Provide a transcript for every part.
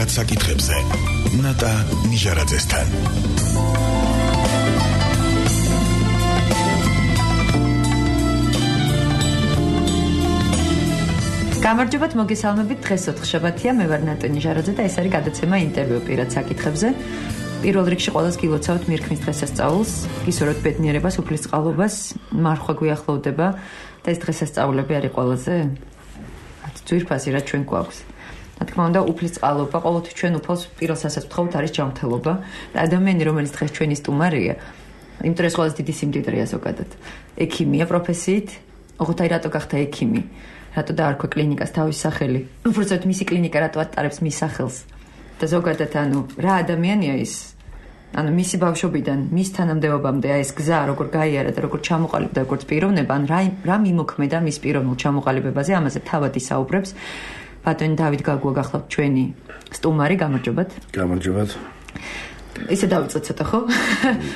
პირად საკითხებზე. ნატა ნიჟარაძესთან. გამარჯობათ, მოგესალმებით. დღეს 4 შაბათია, მე ვარ ნატა ნიჟარაძე და ეს არის გადაცემა ინტერვიუ პირად საკითხებზე. პირველ რიგში ყველას გილოცავთ მირქმის დღესასწაულს, გისურვებთ ბედნიერებას, უფლისწყალობას, მარხვა გვიახლოვდება და ეს დღესასწაულები არის ყველაზე ძვირფასი, რაც ჩვენ გვაქვს. რა თქმა უნდა, უფლისწყალობა ყოველთვის ჩვენ უფალს პირველ სასწაულთ არის ჯანმრთელობა და ადამიანი, რომელიც დღეს ჩვენი სტუმარია, იმიტომ ეს ყველაზე დიდი სიმდიდრეა ზოგადად. ექიმია პროფესიით, ოღონდ აი რატო გახდა ექიმი? რატო დაარქვა კლინიკას თავის სახელი? უბრალოდ მისი კლინიკა რატო ატარებს მის სახელს? და ზოგადად რა ადამიანია ის? მისი ბავშვობიდან მის თანამდებობამდე ეს გზა როგორ გაიარა და როგორ ჩამოყალიბდა როგორც პიროვნება, რა მიმოქმედა მის პიროვნულ ჩამოყალიბებაზე, ამაზე თავად ისაუბრებს ბატონი დავით გაგუა გახლავთ ჩვენი სტუმარი. გამარჯობათ. გამარჯობათ. ისე დავიწყოთ ცოტა, ხო?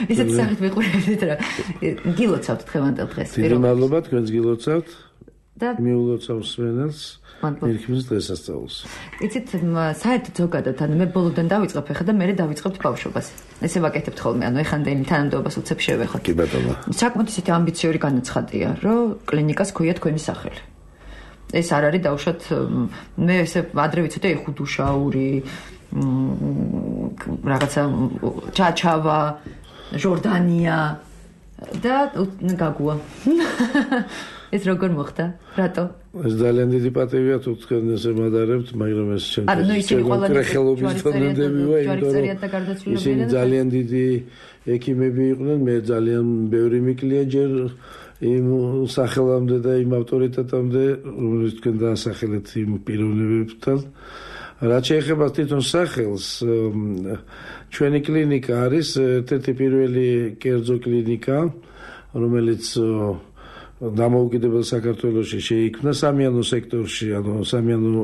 ისეთ სახით ვიყურებთ რა. გილოცავთ დღევანდელ დღეს. დიდი მადლობა, თქვენს გილოცავთ. და მიულოცავს სვენელს მირქმის დღესასწაულს. იცით, საერთოდ ზოგადად მე ბოლოდან დავიწყებ ახლა და მე დავიწყებთ ბავშვობას. ესე ვაკეთებთ ხოლმე, ეხანდელი თანამდებობას უცებ შევეხოთ. კი ბატონო. საკმაოდ ისეთი ამბიციური განაცხადია, რომ კლინიკას ქვია თქვენი სახელი. ეს არ არის დაუშვათ მე ესე ადრე ვიცოდე ხუდუშაური, რაღაცა ჩაჩავა, ჟორდანია და გაგუა. ეს როგორ მოხდა? რატო? ეს ძალიან დიდი პატივია თუ თქვენ ესე მადარებთ, მაგრამ ეს ჩემთვის ხელობის თონდები ვარ, იმიტომ რომ ისინი ძალიან დიდი ექიმები იყვნენ, მე ძალიან ბევრი მიკლია ჯერ იმ სახელამდე და იმ ავტორიტეტამდე, რომელიც თქვენ დაასახელეთ იმ პიროვნებებთან. რაც შეეხება თვითონ სახელს, ჩვენი კლინიკა არის ერთ-ერთი პირველი კერძო კლინიკა, რომელიც დამოუკიდებელ საქართველოში შეიქმნა სამიანო სექტორში, სამიანო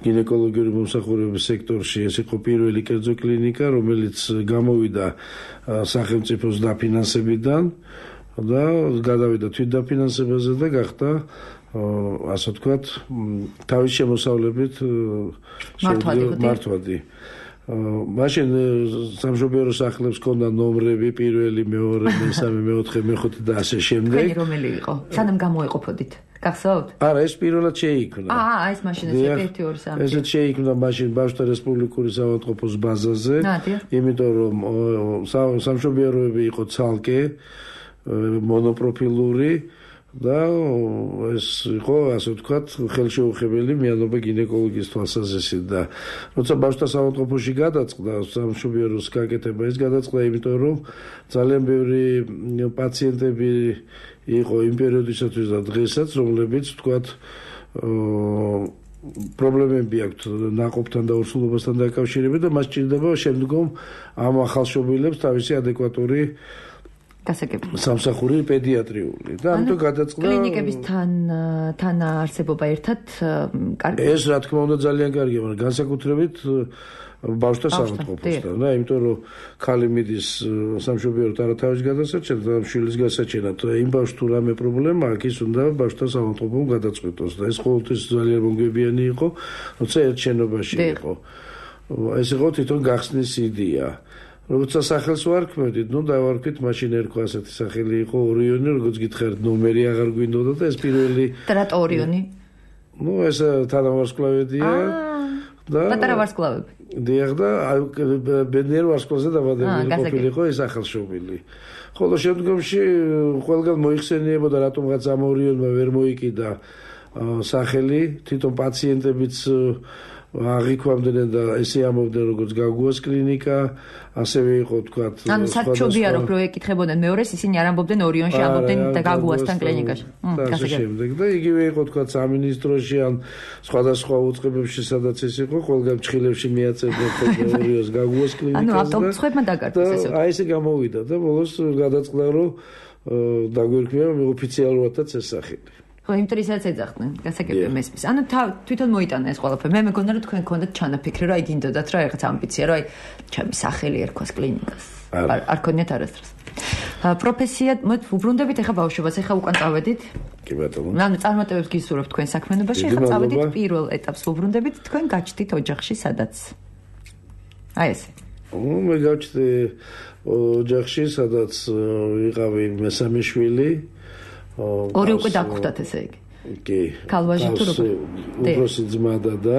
გინეკოლოგიური მომსახურების სექტორში. ეს იყო პირველი კერძო კლინიკა, რომელიც გამოვიდა სახელმწიფოს დაფინანსებიდან და გადავიდა თვითდაფინანსებაზე და გახდა, ასე ვთქვათ, თავის შემოსავლებით მართვადი. მაშინ სამშობიარო სახლებს ჰქონდა ნომრები, პირველი, მეორე, მესამე, მეოთხე, მეხუთე და ასე შემდეგ. თქვენი რომელი იყო? სანამ გამოეყოფოდით? გახსოვთ? არა, ეს პირველად შეიქმნა. ეს მაშინ ეს 1 2 3. ესეც შეიქმნა მაშინ ბავშვთა რესპუბლიკური საავადმყოფოს ბაზაზე, იმიტომ რომ სამშობიაროები იყო ცალკე მონოპროფილური და ეს იყო, ასე ვთქვათ, ხელშეუხებელი მიანობა გინეკოლოგიის თვალსაზრისით და როცა ბავშვთა საავადმყოფოში გადაწყდა სამშობიაროს გაკეთება, ეს გადაწყდა იმიტომ რომ ძალიან ბევრი პაციენტები იყო იმ პერიოდისათვის და დღესაც, რომლებიც ვთქვათ პრობლემები აქვთ ნაყოფთან და ორსულობასთან დაკავშირებით და მას ჭირდება შემდგომ ამ ახალშობილებს თავისი ადეკვატური სამსახური პედიატრიული და ამიტომ გადაწყდა კლინიკების თანაარსებობა ერთად კარგი. ეს რა თქმა უნდა ძალიან კარგია, მაგრამ განსაკუთრებით ბავშვთა საავადმყოფოსთან და იმიტომ რომ ქალი მიდის სამშობიაროდ არა თავის გადასაჭერად, არა შვილის გასაჭერად. იმ ბავშვს თუ რამე პრობლემა აქვს, ის უნდა ბავშვთა საავადმყოფომ გადაწყვეტოს და ეს ყოველთვის ძალიან მომგებიანი იყო, როცა ერთ შენობაში იყო. ეს იყო თვითონ გახსნის იდეა. როცა სახელს ვარქმევდით, დავარქვით, მაშინ ერქვა ასეთი სახელი იყო ორიონი, როგორც გითხარით, ნომერი აღარ გვინდოდა და ეს პირველი. და რატო ორიონი? ეს თანავარსკვლავედია და პატარა ვარსკვლავები. დიახ და ბედნიერ ვარსკვლავზე დაბადებული ყოფილიყო ეს ახალშობილი. ხოლო შემდგომში ყველგან მოიხსენიებოდა, რატომღაც ამ ორიონმა ვერ მოიკიდა სახელი, თვითონ პაციენტებიც აღიქვამდნენ და ესე ამბობდნენ, როგორც გაგუას კლინიკა, ასევე იყო, თქვათ, საჩუბიარო რო ეკითხებოდნენ მეორეს, ისინი არ ამბობდნენ ორიონში, ამბობდნენ და გაგუასთან კლინიკაში. ასე შემდეგ და იგივე იყო, თქვათ, სამინისტროში ან სხვადასხვა უწყებებში, სადაც ეს იყო, ყველგან ჩხილებში მიაწერდნენ ორიონს გაგუას კლინიკას. ავტობუსებმა დაგარკვეს ესე. აი ესე გამოვიდა და ბოლოს გადაწყდა, რომ დაგვირქმევა ოფიციალურადაც ეს სახელი. ხო, იმიტომ ისაც ეძახდნენ, გასაგებია მესმის. თვითონ მოიტანა ეს ყველაფერი. მე მეგონა რომ თქვენ გქონდათ ჩანაფიქრი, რომ გინდოდათ რა რაღაც ამბიცია, რომ ჩემი სახელი ერქვას კლინიკას. არ ქონიათ არასდროს. პროფესია, უბრუნდებით ახლა ბავშვობას, ახლა უკან წავედით. კი ბატონო. წარმატებებს გისურვებთ თქვენ საქმიანობაში, ახლა წავედით პირველ ეტაპს უბრუნდებით, თქვენ გაჩდით ოჯახში სადაც. აი ესე. მე გავჩნდი ოჯახში, სადაც ვიყავი მესამე შვილი. ორი უკვე დაგხვდათ ესე იგი. კი. ქალვაჟი თუ როგორ? უფროსი ძმა და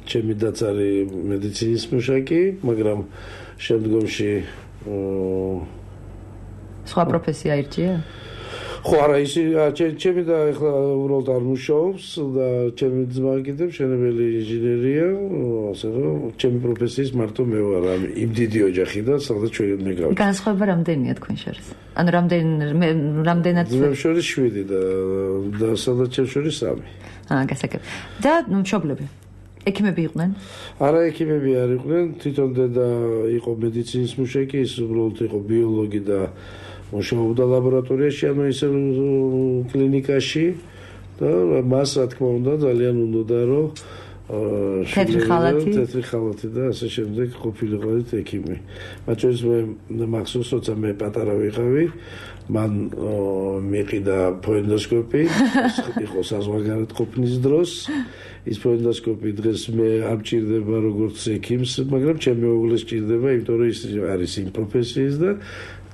ჩემი დაც არის მედიცინის მუშაკი, მაგრამ შემდგომში სხვა პროფესია ირჩია? ხო, არა, ჩემი და ახლა უბრალოდ არ მუშაობს და ჩემი ძმა კიდევ მშენებელი ინჟინერია, ასე რომ ჩემი პროფესიის მარტო მე ვარ იმ დიდი ოჯახიდან, სადაც ჩვენ მე გავჩნდა. განსხვავება რამდენია თქვენ შორის? ანუ რამდენად ძმებს შორის 7 და სადაც ჩემ შორის 3. გასაგებ. და მშობლები? ექიმები იყვნენ? არა, ექიმები არ იყვნენ, თვითონ დედა იყო მედიცინის მუშაკი, ის უბრალოდ იყო ბიოლოგი და მუშაობდა ლაბორატორიაში, ანუ ისე კლინიკაში და მას რა თქმა უნდა ძალიან უნდოდა რომ თეთრი ხალათი და ასე შემდეგ ყოფილიყო ექიმი. მათ შორის მე მახსოვს, როცა მე პატარა ვიყავი, მან მიყიდა ფოენდოსკოპი, იყო საზღვარგარეთ ყოფნის დროს. ის ფოენდოსკოპი დღეს მე არ მჭირდება როგორც ექიმს, მაგრამ ჩემი მეუღლეს სჭირდება, იმიტომ რომ ის არის იმ პროფესიის და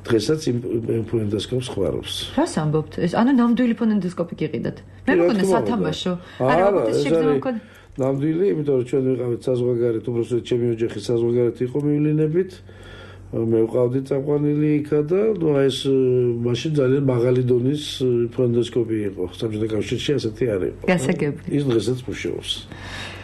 დღესაც იმ ფოენდოსკოპს ხوارობს. რას ამბობთ? ეს ანუ ნამდვილი ფოენდოსკოპი გიყიდათ. მე მგონია სათამაშო. არა, ეს არის ნამდვილი, იმიტომ რომ ჩვენ ვიყავით საზღვარგარეთ, უბრალოდ ჩემი ოჯახი საზღვარგარეთ იყო მივლინებით. მე ვყავდი წაყვანილი იქა და ეს მაშინ ძალიან მაღალი დონის ფოენდოსკოპი იყო. საბჭოთა კავშირში ასეთი არ იყო. გასაგებია. ის დღესაც მუშაობს.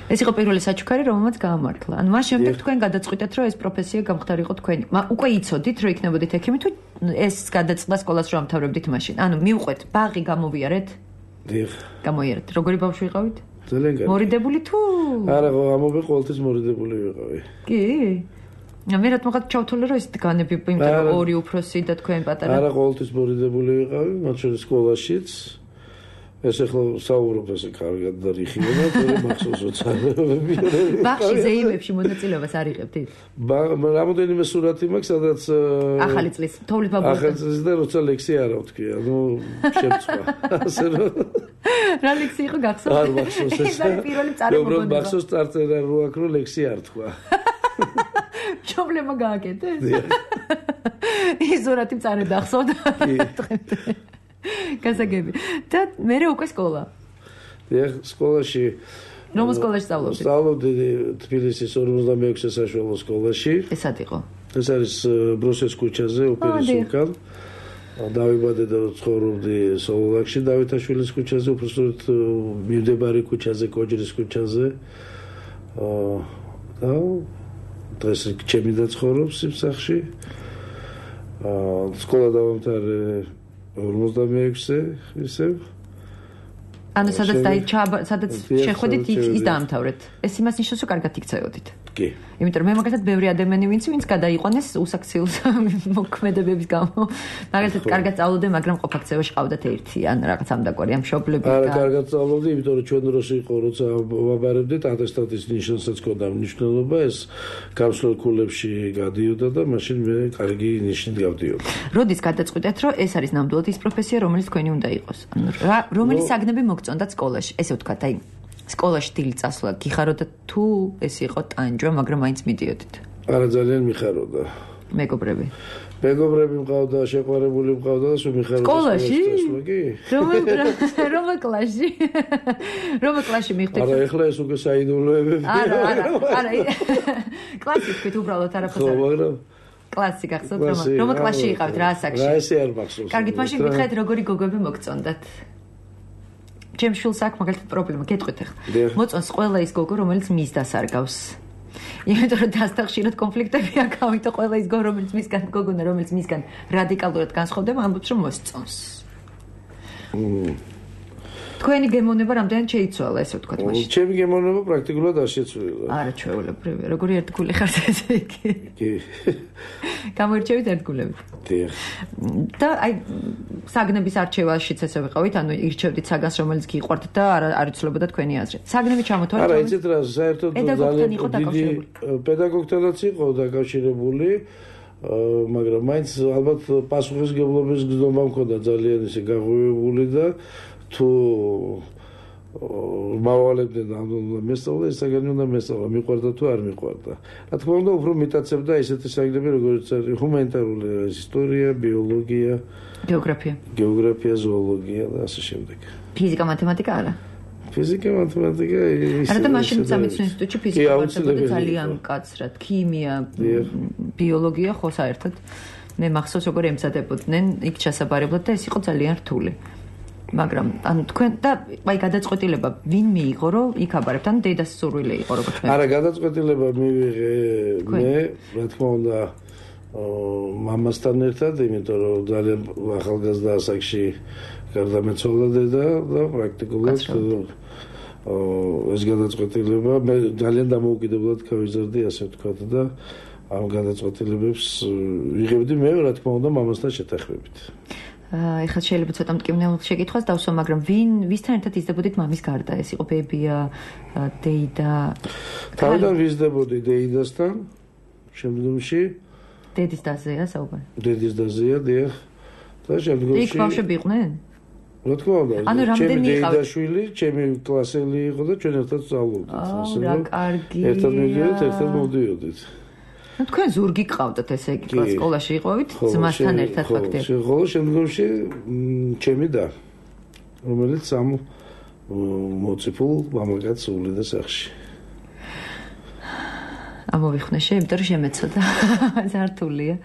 ეს იყო პირველი საჩუქარი, რომელმაც გაამართლა. ანუ მას შემდეგ თქვენ გადაწყვიტეთ, რომ ეს პროფესია გამختارიყო თქვენი. უკვე იცოდით, რომ იქნებოდით ექიმი თუ ეს გადაწყდა სკოლას რომ ამთავრებდით მაშინ? ანუ მივყვეთ, ბაღი გამოვიარეთ? დიახ. გამოიარეთ. როგორი ბავშვი ვიყავით? ძალიან კარგი. მორიდებული თუ? არა, ამობე ყოველთვის მორიდებული ვიყავი. კი? მე რატომ ჩავთვალე რომ ეს განები, იმიტომ რომ ორი უფროსი და თქვენ პატარა. არა, ყოველთვის მორიდებული ვიყავი, მათ შორის სკოლაშიც. ეს ახლა საუბრობ ესე კარგად და რიხილა, თორემ მახსოვს როცა ბაღში ზეიმებში მონაწილეობას არ იღებდით? რამოდენიმე სურათი მაქვს, სადაც ახალი წლის თოვლის ბაბუა. ახალი წლის და როცა ლექსია არა ვთქვი, ანუ შემწვა. ასე რომ რა ლექსი იყო გახსოვს? არ მახსოვს ეს. ეს არის პირველი წარმოგონება. უბრალოდ მახსოვს წარწერა რო აქ რო ლექსი არ თქვა. ჩობლემა გააკეთეს? ის სურათი მწარე დახსოვდა. გასაგები. და მერე უკვე სკოლა. დიახ, სკოლაში. რომელ სკოლაში სწავლობდით? სწავლობდი თბილისის 46 საშუალო სკოლაში. ეს ად იყო? ეს არის ბროსეს ქუჩაზე, ოპერის უკან. დავიბადე და ცხოვრობდი სოლოლაკში, დავითაშვილის ქუჩაზე, უბრალოდ მიმდებარე ქუჩაზე, კოჯრის ქუჩაზე. და დღეს ჩემი და ცხოვრობს იმ სახლში. სკოლა დავამთავრე 46-ზე ისევ. ანუ სადაც შეხვედით ის დაამთავრეთ. ეს იმას ნიშნავს, რომ კარგად იქცეოდით. კი. იმიტომ რომ მე მაგალითად ბევრი ადამიანი ვინც გადაიყვანეს უსაქციელ მოქმედებების გამო. მაგალითად კარგად სწავლობდი, მაგრამ ყოფაქცევაში ყავდათ ერთი ან რაღაც ამდაკვარი ამ მშობლები და არა, კარგად სწავლობდი, იმიტომ რომ ჩვენ დროს იყო, როცა ვაბარებდით, ატესტატის ნიშანსაც ჰქონდა მნიშვნელობა, ეს გამსვლელ ქულებში გადიოდა და მაშინ მე კარგი ნიშნით გავდიოდი. როდის გადაწყვიტეთ, რომ ეს არის ნამდვილად ის პროფესია, რომელიც თქვენი უნდა იყოს? ანუ რომელი საგნები მოგწონდათ სკოლაში? ესე ვთქვათ, აი სკოლაში დილით წასვლა გიხაროდა თუ ეს იყო ტანჯვა, მაგრამ მაინც მიდიოდით? არა, ძალიან მიხაროდა. მეგობრები მყავდა, შეყვარებული მყავდა და სულ მიხაროდა სკოლაში? კი. რომელ კლასში? რომელ კლასში მიხვდით? არა, ეხლა ეს უკვე საიდუმლოებები. არა. კლასი თქვით უბრალოდ არაფერს. ხო, მაგრამ კლასი გახსოვთ რომელ კლასში იყავით რა ასაკში? რა ესე არ მახსოვს. კარგით, მაშინ გითხრათ როგორი გოგოები მოგწონდათ? ჩემ შვილს აქვს მაგალითად პრობლემა, გეტყვით ახლა. მოწონს ყველა ის გოგო, რომელიც მის დასარგავს. იმიტომ რომ დასთან ხშირად კონფლიქტები აქ და ყველა ის გოგო, რომელიც მისგან გოგონა, რომელიც მისგან რადიკალურად განსხვავდება, ამბობს რომ მოსწონს. თქვენი გემოვნება რამდენად შეიცვალა, ესე ვთქვათ მაშინ? ჩემი გემოვნება პრაქტიკულად არ შეცვლილა. არა, ჩვეულებრივია. როგორი ერთგული ხართ ესე იგი? კი. გამოირჩევით ერთგულებით. დიახ. და აი საგნების არჩევაშიც ესე ვიყავით, ანუ ირჩევდით საგანს, რომელიც გიყვართ და არ იცვლებოდა თქვენი აზრი. საგნები ჩამოთვალეთ? არა, იცით რა, საერთოდ ძალიან დიდი პედაგოგთანაც იყო დაკავშირებული. მაგრამ მაინც ალბათ პასუხისმგებლობის გზნობა მქონდა ძალიან ისე გაღვივებული და თუ მავალებდნენ ამ მესწავლა ისაგანი უნდა მესწავლა მიყვარდა თუ არ მიყვარდა რა თქმა უნდა უფრო მიტაცებდა ესეთი საგნები როგორც არის ჰუმანიტარული ისტორია ბიოლოგია გეოგრაფია ზოოლოგია და ასე შემდეგ ფიზიკა მათემატიკა არა ფიზიკა მათემატიკა არა და მაშინ სამეცნიერო ინსტიტუტში ფიზიკა ვარდებოდა ძალიან მკაცრად ქიმია ბიოლოგია ხო საერთოდ მე მახსოვს როგორ ემზადებოდნენ იქ ჩასაბარებლად და ეს იყო ძალიან რთული მაგრამ ანუ თქვენ და აი გადაწყვეტილება ვინ მიიღო რომ იქ აბარებთ ან დედას სურვილი იყო როგორც მე არა გადაწყვეტილება მივიღე მე რა თქმა უნდა მამასთან ერთად იმიტომ რომ ძალიან ახალგაზრდა ასაკში გარდამეცვალა დედა და პრაქტიკულად ეს გადაწყვეტილება მე ძალიან დამოუკიდებლად გავიზარდი ასე ვთქვათ და ამ გადაწყვეტილებებს ვიღებდი მე რა თქმა უნდა მამასთან შეთანხმებით ეხლა შეიძლება ცოტა მტკივნეულ შეკითხვას დავსვა, მაგრამ ვისთან ერთად იზრდებოდით მამის გარდა? ეს იყო ბებია, დეიდა? თავიდან ვიზრდებოდი დეიდასთან, შემდგომში დედის დაზეა საუბარი. დედის დაზეა, დიახ. და შემდგომში იქ ბავშვები იყვნენ? რა თქმა უნდა. ანუ რამდენი იყავით? დეიდაშვილი, ჩემი კლასელი იყო და ჩვენ ერთად ვსწავლობდით. ასე რა კარგია. ერთად მივიდოდით, ერთად მოვდიოდით. ну თქვენ ზურგი გყავდათ ესე იგი სკოლაში იყავით ძმასთან ერთად ფაქტია ხოლო შემდგომში ჩემი და რომელიც ამ მოციფულ მამაკაც ულიდა სახში ამოვიხვნე იმიტომ რომ შემეცოდა ზართულია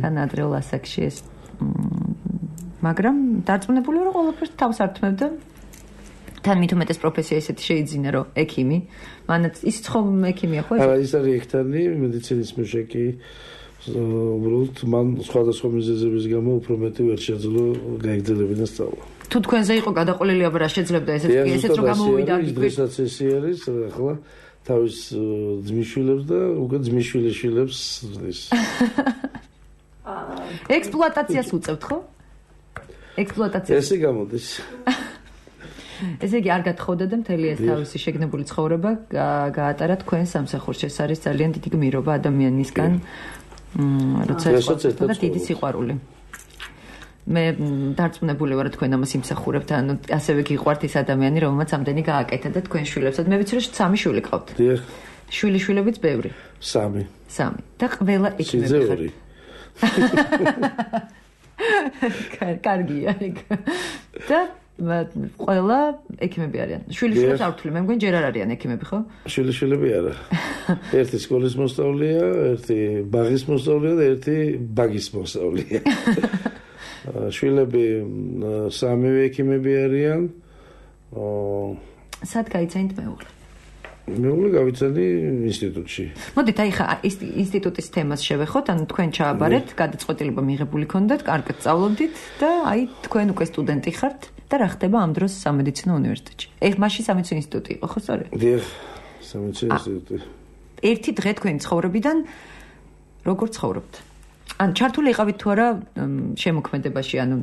თან ადრეულ ასაკში ეს მაგრამ დარწმუნებული ვარ რომ ყველაფერს თავს ართმევდა თან მithumetes პროფესია ესეთი შეიძინა რომ ექიმი მანაც ის ხომ ექიმია ხო არა ის არის ექთანი მედიცინის მუშაკი უბრალოდ მან სხვადასხვა მიზეზების გამო უფრო მეტი ვერ შეძლო გაიგრძელებინა სწავლა თუ თქვენზე იყო გადაყოლილი აბა რა შეძლებდა ესეც რომ გამოუვიდა დღესაც ეს არის ახლა თავის ძმისშვილებს და უკვე ძმისშვილიშვილებს ზრდის ექსპლუატაციას უწევთ ხო ექსპლუატაცია ესე გამოდის ესე იგი არ გათხოვდა და მთელი ეს თავისი შეგნებული ცხოვრება გაატარა თქვენ სამსახურში. ეს არის ძალიან დიდი გმირობა ადამიანისგან, როცა ეს დიდი სიყვარული. მე დარწმუნებული ვარ თქვენ ამას იმსახურებთ, ანუ ასევე გიყვართ ის ადამიანი, რომელმაც ამდენი გააკეთა და თქვენ შვილებსაც. მე ვიცი რომ 3 შვილი ყავთ. დიახ. შვილიშვილებიც ბევრი. 3. და ყველა ექიმები ხართ. კარგია ეგ. და ყველა ექიმები არიან. შვილიშვილებს არ ვთვლი, მე მგონი ჯერ არ არიან ექიმები, ხო? შვილიშვილები არა. ერთი სკოლის მოსწავლეა, ერთი ბაღის მოსწავლეა და ერთი ბაგის მოსწავლეა. შვილები 3 ექიმები არიან. სად გაიცანით მეუღლე? მეუღლე გავიცანი ინსტიტუტში. მოდით, აი ხა ინსტიტუტის თემას შევეხოთ, ანუ თქვენ ჩააბარეთ, გადაწყვეტილება მიღებული ქონდათ, კარგად სწავლობდით და აი თქვენ უკვე სტუდენტი ხართ და რა ხდება ამ დროს სამედიცინო უნივერსიტეტში? მაშინ სამედიცინო ინსტიტუტი იყო, ხო სწორედ? დიახ, სამედიცინო ინსტიტუტი. ერთი დღე თქვენი ცხოვრებიდან როგორ ცხოვრობთ? ან ჩართული იყავით თუ არა შემოქმედებაში, ანუ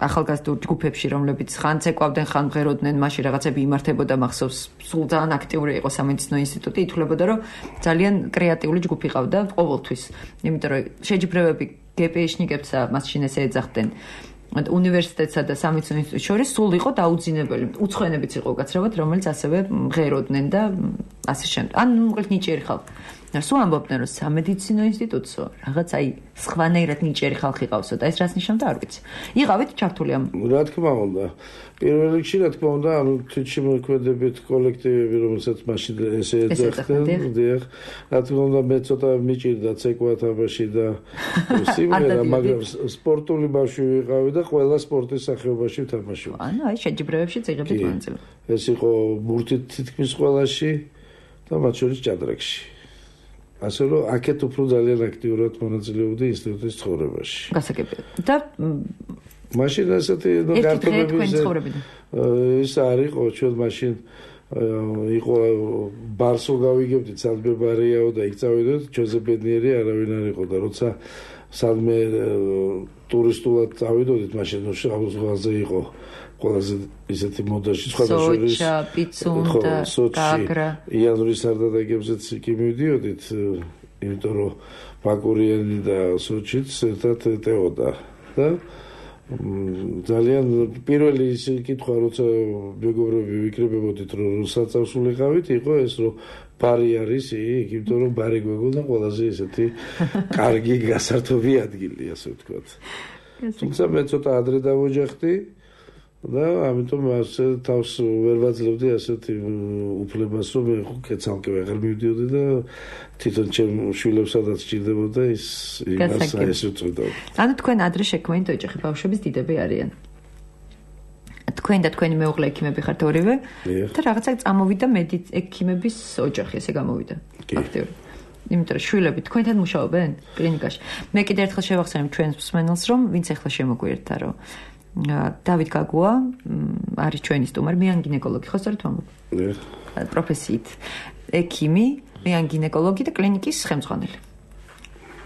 ახალგაზრდულ ჯგუფებში, რომლებიც ხან ცეკვავდნენ, ხან მღეროდნენ, მაშინ რაღაცები იმართებოდა, მახსოვს, სულ ძალიან აქტიური იყო სამედიცინო ინსტიტუტი, ითვლებოდა, რომ ძალიან კრეატიული ჯგუფი ყავდა ყოველთვის. იმიტომ რომ შეჯიბრებები გპშ-ნიკებს მაშინ ესე ეძახდნენ. უნივერსიტეტსა და სამედიცინო ინსტიტუტს შორის სულ იყო დაუძინებელი. უცხოენებიც იყო უკაცრავად, რომელიც ასევე მღეროდნენ და ასე შემდეგ. ან მოკლედ ნიჭიერი ხალხი. სულ ამბობდნენ რომ სამედიცინო ინსტიტუტსო რაღაც აი სხვანაირად ნიჭიერი ხალხი ყავსო და ეს რას ნიშნავდა არ ვიცი. იყავით ჩართული ამ რა თქმა უნდა. პირველ რიგში რა თქმა უნდა ამ თვითშემოქმედებით კოლექტივები რომელსაც მაშინ ესე ეძახდნენ, დიახ. რა თქმა უნდა მე ცოტა მიჭირდა ცეკვა თამაში და სიმღერა, მაგრამ სპორტული ბავშვი ვიყავი და ყველა სპორტის სახეობაში ვთამაშობდი. ანუ აი შეჯიბრებებში წიღებდით მონაწილე. ეს იყო ბურთით თითქმის ყველაში და მათ შორის ჭადრაკში. ასე რომ აქეთ უფრო ძალიან აქტიურად მონაწილეობდი ინსტიტუტის ცხოვრებაში. გასაგებია. და მაშინ ასეთი გართობების ის არ იყო ჩვენ მაშინ იყო ბარსო გავიგებდით სადმებარიაო და იქ წავიდოთ ჩვენზე ბედნიერი არავინ არ იყო და როცა სადმე ტურისტულად წავიდოდით მაშინ ზღვაზე იყო ყველაზე ისეთი მოდაში სხვადასხვა პიცუნდა გაგრა იანვრის სარდადაგებზეც კი მივდიოდით იმიტომ რომ ბაკურიანი და სოჩიც ერთად ეტეოდა და ძალიან პირველი ის კითხვა, როცა მეგობრები ვიკრიბებოდით, რომ საწავს ვიყავით, იყო ეს, რომ ბარი არის იქ, იმიტომ რომ ბარი გვეგონა ყველაზე ესეთი კარგი გასართობი ადგილი, ასე ვთქვათ. თუმცა მე ცოტა ადრე დავოჯახდი და ამიტომ ასე თავს ვერ ვაძლევდი ასეთი უფლებას, რომ მე კეცალკე ვეღარ მივდიოდი და თვითონ ჩემ შვილებსაც ჭირდებოდა ის იმას უწევდა. ანუ თქვენ ადრე შექმნით ოჯახი, ბავშვების დიდები არიან. თქვენ და თქვენი მეუღლე ექიმები ხართ ორივე და რაღაცა წამოვიდა ექიმების ოჯახი, ესე გამოვიდა. აქტიური. იმიტომ რომ შვილები თქვენთან მუშაობენ კლინიკაში. მე კიდევ ერთხელ შევახსენებ ჩვენს მსმენელს, რომ ვინც ახლა შემოგვიერთდა, რომ დავით გაგუა არის ჩვენი სტუმარი, მე ან გინეკოლოგი, ხო სწორედ ვამბობ? პროფესიით ექიმი, მე ან გინეკოლოგი და კლინიკის ხელმძღვანელი.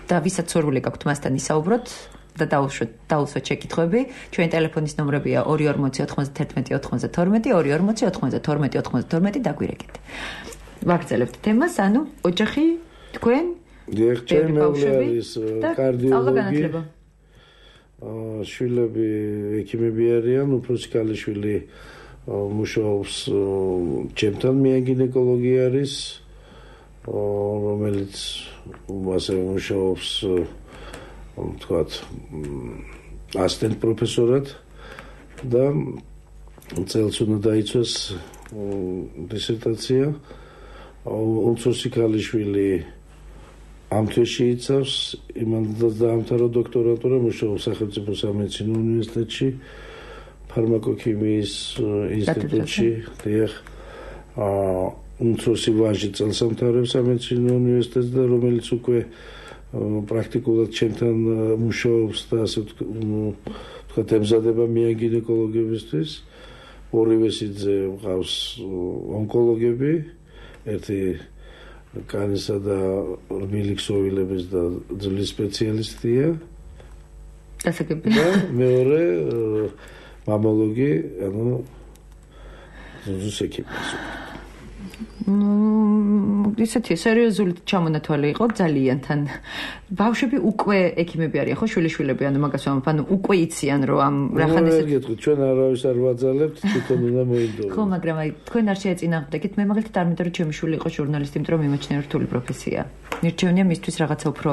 და ვისაც სურვილი გაქვთ მასთან ისაუბროთ და დაუსვათ შეკითხვები, ჩვენი ტელეფონის ნომრებია 240 91 92 240 92 92 დაგვირეკეთ. ვაგრძელებთ თემას, ანუ ოჯახი თქვენ ჩემი მეუღლე არის კარდიოლოგი. შვილები ექიმები არიან, უფროსი ქალიშვილი მუშაობს ჩემთან, მე გინეკოლოგი არის, რომელიც ასე მუშაობს ვთქვათ ასისტენტ პროფესორად და წელს უნდა დაიცვას დისერტაცია. უმცროსი ქალიშვილი ამ თვეში იცავს, იმან დაამთავრა დოქტორატურა, მუშაობს სახელმწიფო სამედიცინო უნივერსიტეტში, ფარმაკოქიმიის ინსტიტუტში. უმცროსი ვაჟი წელს ამთავრებს სამედიცინო უნივერსიტეტს და რომელიც უკვე პრაქტიკულად ჩემთან მუშაობს და ასე ვთქვათ ემზადება მიან გინეკოლოგებისთვის. ორივე სიძე მყავს ონკოლოგები, ერთი კანისა და რბილი-ქსოვილების და ძვლის სპეციალისტია. დასაგები. და მეორე მამოლოგი, ანუ ზუზუს ექიმი. ისეთი სერიოზული ჩამონათვალი იყო ძალიან თან. ბავშვები უკვე ექიმები არიან, ხო, შვილიშვილები, ანუ მაგას ვამბობ, ანუ უკვე იციან, რომ ამ რახან ესე ჩვენ არავის არ ვაძალებთ, თვითონ უნდა მოინდომოთ. ხო, მაგრამ აი თქვენ არ შეეწინააღმდეგეთ, მე მაგალითად არ მინდა რომ ჩემი შვილი იყოს ჟურნალისტი, იმიტომ რომ მიმაჩნია რთული პროფესია. მირჩევნია მისთვის რაღაცა უფრო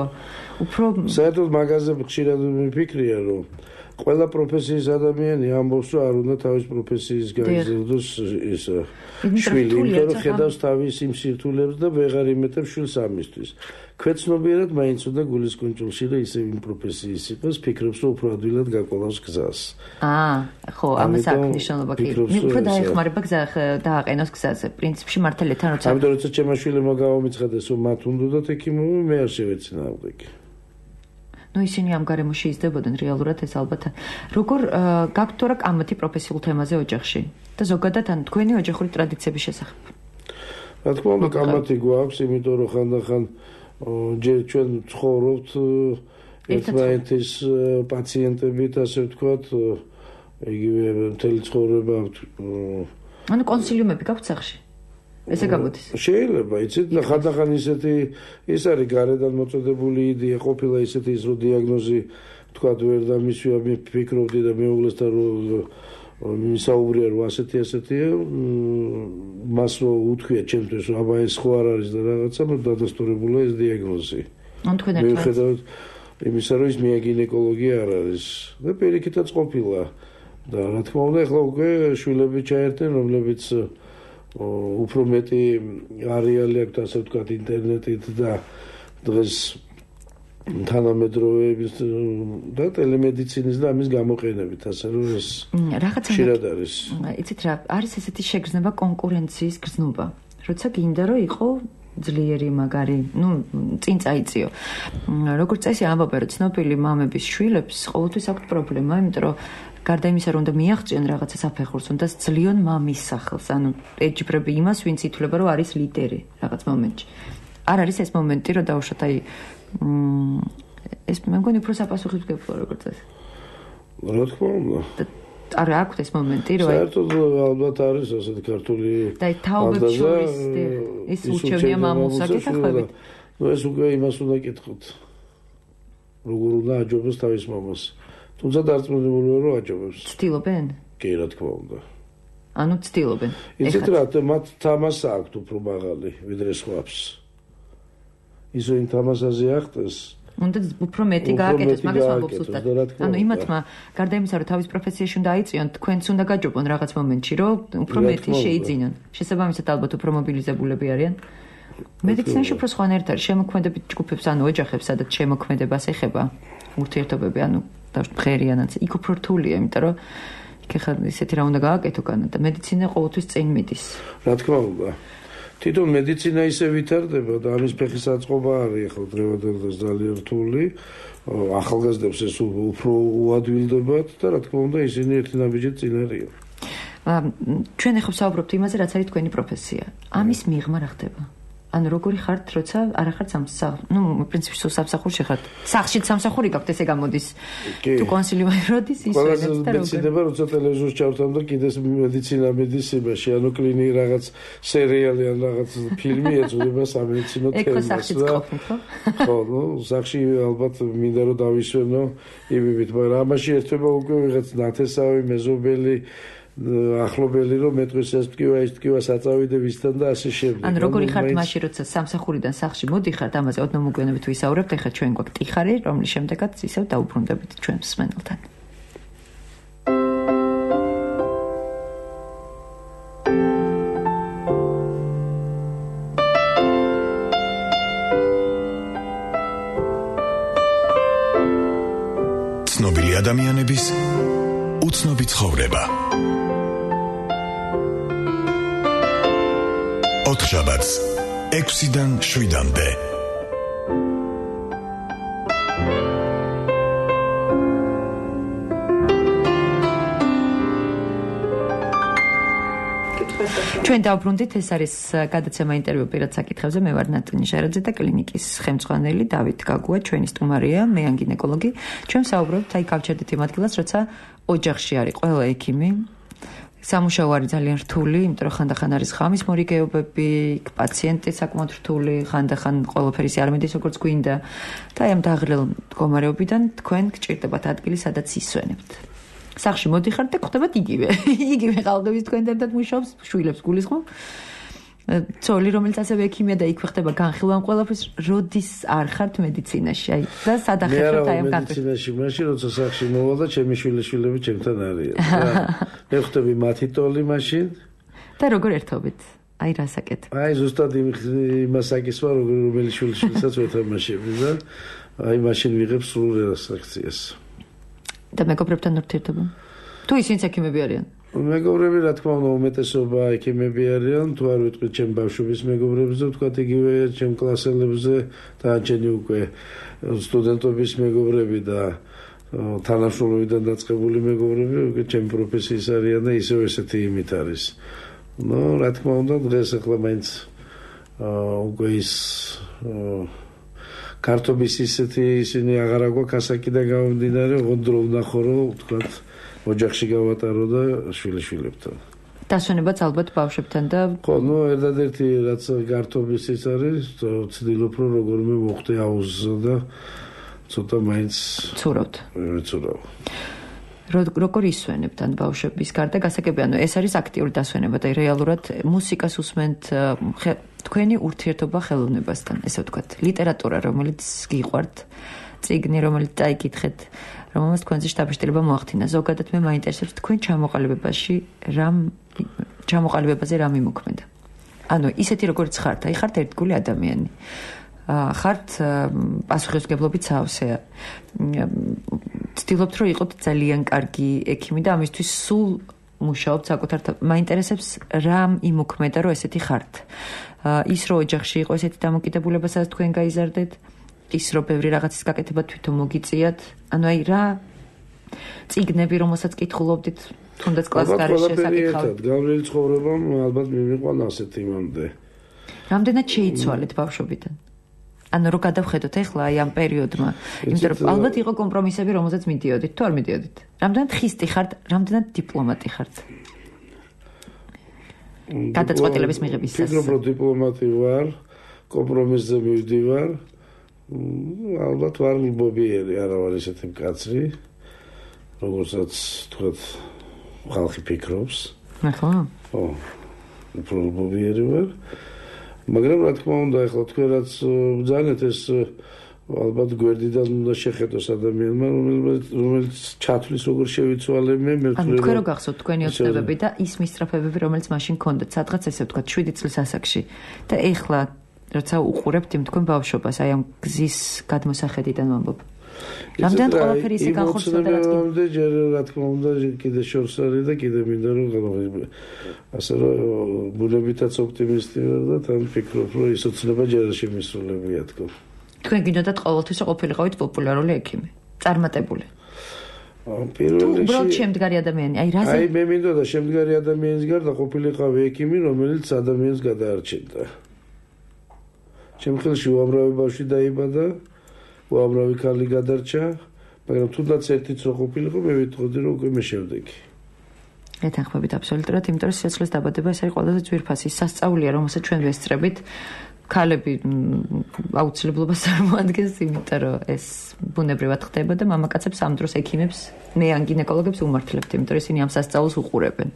საერთოდ მაგაზე ხშირად მიფიქრია, რომ ყველა პროფესიის ადამიანი ამბობს, რომ არ უნდა თავის პროფესიის გაიზრდოს ის შვილი, იმიტომ რომ ხედავს თავის იმ სირთულეებს და ვეღარ იმეტებს შვილს ამისთვის. ქვეცნობიერად მაინც უნდა გულისკუნჭულში და ისე იმ პროფესიის იყოს, ფიქრობს, რომ უფრო ადვილად გაკვლავს გზას. ხო, ამას აქვს მნიშვნელობა კი. უფრო დაეხმარება გზა დააყენოს გზაზე. პრინციპში მართალია თან როცა ამიტომ როცა ჩემმა შვილებმა გავამიცხადეს, რომ მათ უნდათ ექიმები, მე არ შევეცინააღმდეგე. ნუ ისინი ამ გარემოში იზრდებოდნენ რეალურად ეს ალბათ. როგორ გაქვთ თორე კამათი პროფესიულ თემაზე ოჯახში და ზოგადად ან თქვენი ოჯახური ტრადიციების შესახებ? რა თქმა უნდა, კამათი გვაქვს, იმიტომ რომ ხანდახან ჯერ ჩვენ ცხოვრობთ ერთმანეთის პაციენტებით, ასე ვთქვათ, იგივე მთელი ცხოვრება. ანუ კონსილიუმები გაქვთ სახლში? ესე გამოდის. შეიძლება, იცით, ხანდახან ისეთი ის არის გარედან მოწოდებული იდეა, ყოფილა ისეთი ის რომ დიაგნოზი ვთქვათ ვერ დამისვია, მე ფიქრობდი და მეუღლესთან რომ მისაუბრია რომ ასეთია, მას რომ უთქვია ჩემთვის რომ აბა ეს ხო არ არის და რაღაცა, რომ დადასტურებულა ეს დიაგნოზი. ანუ თქვენ მიუხედავად იმისა რომ ის მიაგინეკოლოგი არ არის და პირიქითაც ყოფილა და რა თქმა უნდა ახლა უკვე შვილები ჩაერთენ, რომლებიც უფრო მეტი არეალი აქვს, ასე ვთქვათ, ინტერნეტით და დღეს თანამედროვეების და ტელემედიცინის და ამის გამოყენებით, ასე რომ ეს ხშირად არის. იცით რა, არის ესეთი შეგრძნება კონკურენციის გრძნობა. როცა გინდა რომ იყო ძლიერი მაგარი, წინ წაიწიო. როგორც წესი ამბობენ, რომ ცნობილი მამების შვილებს ყოველთვის აქვთ პრობლემა, იმიტომ რომ გარდა იმისა, რომ უნდა მიაღწიონ რაღაცა საფეხურს, უნდა ძლიონ მამის სახელს, ანუ ეჯიბრები იმას, ვინც ითვლება, რომ არის ლიდერი რაღაც მომენტში. არ არის ეს მომენტი, რომ დაუშვათ აი ეს მე მგონი უფრო საპასუხისმგებლო როგორც ეს. რა თქმა უნდა. არ აქვს ეს მომენტი, რომ საერთოდ ალბათ არის ასეთი ქართული და თაობებს შორის ეს ურჩევნია მამულს აკეთებთ. ეს უკვე იმას უნდა კითხოთ. როგორ უნდა აჯობოს თავის მამას. თუმცა დარწმუნებული ვარ, რომ აჯობებს. ცდილობენ? კი, რა თქმა უნდა. ანუ ცდილობენ. იცით რა, მათ თამასა აქვთ უფრო მაღალი, ვიდრე სხვებს. ის ვინ თამასაზე ახტეს, უნდა უფრო მეტი გააკეთოს, მაგას ვამბობ ზუსტად. ანუ იმათმა გარდა იმისა, რომ თავის პროფესიაში უნდა აიწიონ, თქვენც უნდა გაჯობონ რაღაც მომენტში, რომ უფრო მეტი შეიძინონ. შესაბამისად ალბათ უფრო მობილიზებულები არიან. მედიცინაში უფრო სხვანაირად არის, შემოქმედებით ჯგუფებს, ანუ ოჯახებს, სადაც შემოქმედებას ეხება ურთიერთობები, ანუ ღერიანაც იქ უფრო რთულია, იმიტომ რომ იქ ხა ისეთი რა უნდა გააკეთო განა და მედიცინა ყოველთვის წინ მიდის. რა თქმა უნდა. თვითონ მედიცინა ისე ვითარდება და ამის ფეხის აწყობა არის ხო დღევანდელს ძალიან რთული. ახალგაზრდებს ეს უფრო უადვილდებათ და რა თქმა უნდა ისინი ერთი ნაბიჯით წინ არიან. ჩვენ ახლა ვსაუბრობთ იმაზე, რაც არის თქვენი პროფესია. ამის მიღმა რა ხდება? ანუ როგორი ხართ, როცა არ ახართ პრინციპში სამსახურში ხართ. სახლშიც სამსახური გაქვთ, ესე გამოდის. თუ კონსილიუმი როდის ისვენებს და როგორ. მეცდება, როცა ტელევიზორს ჩავთავ და კიდეს მედიცინა მიდის იმაში, ანუ კლინიკ რაღაც სერიალი ან რაღაც ფილმი ეძღვნება სამედიცინო თემას. ეკო სახლშიც ყოფნით, ხო? ხო, სახლში ალბათ მინდა რომ დავისვენო იმივით, მაგრამ ამაში ერთება უკვე ვიღაც ნათესავი, მეზობელი ახლობელი რომ მეტყვის ეს ტკივა ის ტკივა საწავიდე ვისთან და ასე შემდეგ. ანუ როგორი ხართ მაშინ როცა სამსახურიდან სახლში მოდიხართ, ამაზე ოდნავ მოგვიანებით ვისაუბრებთ, ეხლა ჩვენ გვაქვს ტიხარი, რომლის შემდეგაც ისევ დაუბრუნდებით ჩვენ მსმენელთან. ცნობილი ადამიანების უცნობი ცხოვრება. ოთხშაბათს 6-დან 7-მდე. ჩვენ დავბრუნდით, ეს არის გადაცემა ინტერვიუ პირად საკითხებზე. მე ვარ ნატონი ჟარაძე და კლინიკის ხელმძღვანელი დავით გაგუა, ჩვენი სტუმარია, მე ან გინეკოლოგი. ჩვენ ვსაუბრობთ, გავჩერდით იმ ადგილას, როცა ოჯახში არის ყველა ექიმი. სამუშაო არის ძალიან რთული, იმიტომ რომ ხანდახან არის ღამის მორიგეობები, პაციენტი საკმაოდ რთული, ხანდახან ყველაფერი არ მიდის როგორც გვინდა და აი ამ დაღლილ მდგომარეობიდან თქვენ გჭირდებათ ადგილი, სადაც ისვენებთ. სახლში მოდიხართ და გხვდებათ იგივე ყალდების თქვენთან ერთად მუშაობს, შვილებს გულისხმობ. ცოლი, რომელიც ასევე ექიმია და იქვე ხდება განხილვა ყველაფრის, როდის არ ხართ მედიცინაში? აი და სადახერხებთ აი ამ მედიცინაში, მაშინ როცა სახლში მოვალ და ჩემი შვილები ჩემთან არიან. მე ხვდები მათი ტოლი მაშინ და როგორ ერთობით? აი რასაკეთებ? აი ზუსტად იმას აკისვა, რომელი შვილსაც ვეთამაშები და აი მაშინ ვიღებ სრულ რეაკციას. და მეგობრებთან ურთიერთობა? თუ ისინიც ექიმები არიან? მეგობრები, რა თქმა უნდა, უმეტესობა ექიმები არიან, თუ არ ვიტყვით ჩემ ბავშვების მეგობრებზე, ვთქვათ იგივე ჩემ კლასელებზე და ჩემი უკვე სტუდენტობის მეგობრები და თანამშრომლობიდან დაწყებული მეგობრები, უკვე ჩემ პროფესიის არიან და ისევ ესეთი იმით არის. რა თქმა უნდა, დღეს ახლა მაინც უკვე ის კარტობის ისინი აღარ აგვაქვს ასაკიდან გამომდინარე, ოღონდ ვნახო, რომ ვთქვათ ოჯახში გავატარო და შვილებთან. დასვენებაც ალბათ ბავშვებთან და ხო, ერთადერთი რაც გართობის ის არის, ვცდილობ რომ როგორმე მოხდე აუზსა და ცოტა მაინც ცურავთ. ვეცურავ. როგორ ისვენებთ ან ბავშვების გარდა გასაგები, ანუ ეს არის აქტიური დასვენება და რეალურად მუსიკას უსმენთ, თქვენი ურთიერთობა ხელოვნებასთან, ესე ვთქვათ, ლიტერატურა, რომელიც გიყვართ, წიგნი, რომელიც წაიკითხეთ, რომელსაც თქვენზე შთაბეჭდილება მოახდინა. ზოგადად მე მაინტერესებს თქვენ ჩამოყალიბებაზე რა მიმოქმედა. ანუ ისეთი როგორც ხართ, აი ხართ ერთგული ადამიანი. ხართ პასუხისმგებლობით სავსეა. ცდილობთ რომ იყოთ ძალიან კარგი ექიმი და ამისთვის სულ მუშაობთ საკუთარ მაინტერესებს რა იმოქმედა რომ ესეთი ხართ. ის რომ ოჯახში იყო ესეთი დამოკიდებულება, სადაც თქვენ გაიზარდეთ, ის რომ ბევრი რაღაცის გაკეთება თვითონ მოგიწიათ, ანუ აი რა წიგნები რომელსაც კითხულობდით, თუნდაც კლასს გარეშე საკითხავთ. გავლილი ცხოვრებამ ალბათ მიმიყვანა ასეთ იმამდე. რამდენად შეიცვალეთ ბავშვობიდან? ანუ რო გადავხედოთ ახლა აი ამ პერიოდმა, იმიტომ რომ ალბათ იყო კომპრომისები, რომელზეც მიდიოდით, თუ არ მიდიოდით. რამდენად ხისტი ხართ, რამდენად დიპლომატი ხართ? გადაწყვეტილების მიღებისას. ფიქრობ, რომ დიპლომატი ვარ, კომპრომისზე მივდივარ. ალბათ ვარ ლიბობიერი, არა ვარ ისეთი მკაცრი. როგორცაც თქვათ ხალხი ფიქრობს. ახლა? ხო. პრობლემები ვარ. მაგრამ რა თქმა უნდა, ახლა თქვენ რაც ბრძანეთ ეს ალბათ გვერდიდან უნდა შეხედოს ადამიანმა, რომელიც ჩათვლის როგორ შევიცვალებ მე ანუ თქვენ რო გახსოვთ თქვენი ოცნებები და ის მისწრაფებები, რომელიც მაშინ გქონდათ, სადღაც ესე ვთქვათ 7 წლის ასაკში და ეხლა როცა უყურებთ იმ თქვენ ბავშვობას, აი ამ გზის გადმოსახედიდან ვამბობ. რამდენად ყველაფერი ისე განხორციელდა და ჯერ რა თქმა უნდა კიდე შორს არის და კიდე მინდა რომ ასე რომ ბუნებითაც ოპტიმისტი ვარ და თან ფიქრობ რომ ის ოცნება ჯერ შემისრულებია თქო. თქვენ გინდათ ყოველთვის ყოფილიყავით პოპულარული ექიმი, წარმატებული. პირველში უბრალოდ შემდგარი ადამიანი, აი რაზე? აი მე მინდოდა შემდგარი ადამიანის გარდა ყოფილიყავი ექიმი, რომელიც ადამიანს გადაარჩენდა. ჩემ ხელში უამრავი ბავშვი დაიბადა, უამრავი ქალი გადარჩა, მაგრამ თუნდაც ერთიც რო ყოფილიყო, მე ვიტყოდი რომ უკვე მე შევდეგი. ეთანხმებით აბსოლუტურად, იმიტომ რომ სიცოცხლის დაბადება ეს არის ყველაზე ძვირფასი სასწაულია, რომელსაც ჩვენ ვესწრებით. ქალები აუცილებლობას წარმოადგენს, იმიტომ რომ ეს ბუნებრივად ხდება და მამაკაცებს ამ დროს ექიმებს, მე ან გინეკოლოგებს უმართლებთ, იმიტომ რომ ისინი ამ სასწაულს უყურებენ.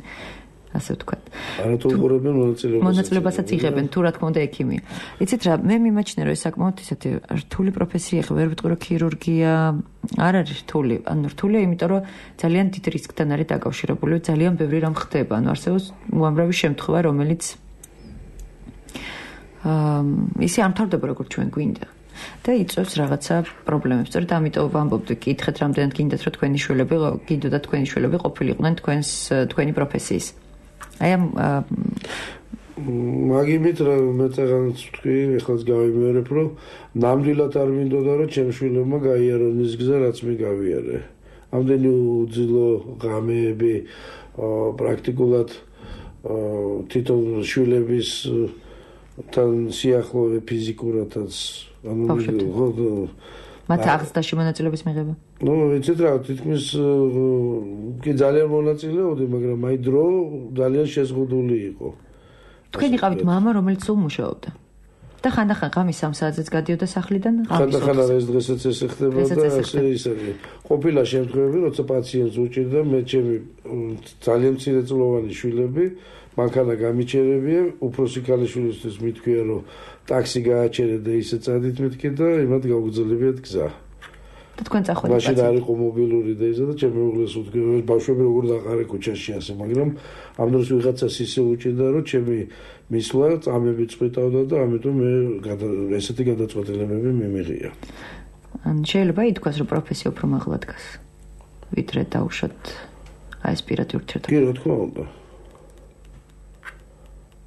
ასე ვთქვათ. არა თუ უყურებენ მონაწილეობასაც იღებენ, თუ რა თქმა უნდა ექიმია. იცით რა, მე მიმაჩნია რომ ეს საკმაოდ ისეთი რთული პროფესია, ხე ვერ ვიტყვი რომ ქირურგია არ არის რთული. ანუ რთულია, იმიტომ რომ ძალიან დიდ რისკთან არის დაკავშირებული, ძალიან ბევრი რამ ხდება. ანუ არსებობს უამრავი შემთხვევა, რომელიც ისე არ მთავრდება როგორც ჩვენ გვინდა და იწვევს რაღაცა პრობლემებს. სწორედ ამიტომ ვამბობდი, კითხეთ რამდენად გინდათ რომ თქვენი შვილები, გინდოდათ თქვენი შვილები ყოფილიყვნენ თქვენი პროფესიის. აი ამ მაგიმით რა მე წაღანაც ვთქვი, ეხლაც გავიმეორებ, რომ ნამდვილად არ მინდოდა რომ ჩემ შვილებმა გაიარონ ის გზა, რაც მე გავიარე. ამდენი უძილო ღამეები პრაქტიკულად თვითონ შვილების თან სიახლოვე ფიზიკურადაც ანუ მათ აღზრდაში მონაწილეობის მიღება. ნუ იცით რა, თითქმის კი ძალიან მონაწილეობდი, მაგრამ აი დრო ძალიან შეზღუდული იყო. თქვენ იყავით მამა, რომელიც სულ მუშაობდა. და ხანდახან ღამის 3 საათზეც გადიოდა სახლიდან, ხანდახან ეს დღესაც ესე ხდება და ასე ისე. ყოფილა შემთხვევები, როცა პაციენტს უჭირდა, მე ჩემი ძალიან მცირეწლოვანი შვილები მანქანა გამიჩერებია, უფროსი ქალიშვილისთვის მithქვია, რომ ტაქსი გააჩერე და ისე წადით მეთქე და იმათ გავგრძელებიათ გზა. და თქვენ წახვედით. მაშინ არ იყო მობილური და ისე და ჩემი უღლეს უთქვი, ბავშვები როგორ დაყარე ქუჩაში ასე, მაგრამ ამ დროს ვიღაცას ისე უჭირდა, რომ ჩემი მისვლა წამები წვიტავდა და ამიტომ მე ესეთი გადაწყვეტილებები მიმიღია. ან შეიძლება ითქვას, რომ პროფესია უფრო მაღლა დგას, ვიდრე დაუშვათ აი ეს პირადი ურთიერთობა. კი, რა თქმა უნდა.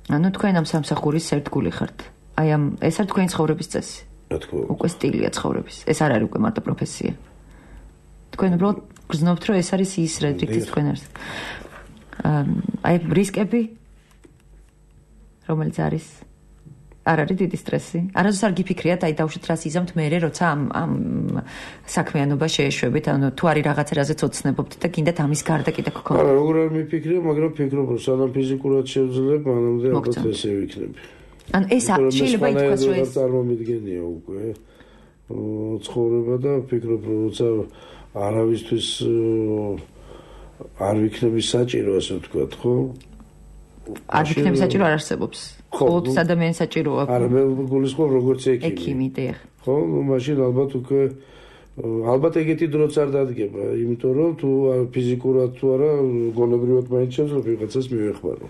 ანუ თქვენ ამ სამსახურის ერთგული ხართ. აი ამ ეს არის თქვენი ცხოვრების წესი. რა თქმა უნდა. უკვე სტილია ცხოვრების. ეს არ არის უკვე მარტო პროფესია. თქვენ უბრალოდ გრძნობთ, რომ ეს არის ის რითიც თქვენ არის. აი რისკები რომელიც არის არ არის დიდი სტრესი. არასდროს არ გიფიქრიათ, აი დავუშვით რას იზამთ მერე, როცა ამ საქმიანობა შეეშვებით, ანუ თუ არის რაღაცა რაზეც ოცნებობთ და გინდათ ამის გარდა კიდე გქონდეთ. არა, როგორ არ მიფიქრე, მაგრამ ფიქრობ, რომ სანამ ფიზიკურად შევძლებ, მანამდე ალბათ ესე ვიქნები. ანუ ეს შეიძლება ითქვას, რომ ეს წარმომიდგენია უკვე ცხოვრება და ფიქრობ, რომ როცა არავისთვის არ ვიქნები საჭირო, ასე ვთქვათ, ხო? არ ვიქნები საჭირო არ არსებობს. ყოველთვის ადამიანს საჭიროა. არა, მე გულისხმობ როგორც ექიმი. ექიმი, დიახ. ხო, მაშინ ალბათ უკვე ალბათ ეგეთი დროც არ დადგება, იმიტომ რომ თუ ფიზიკურად თუ არა, გონებრივად მაინც შეიძლება ვიღაცას მივეხმარო.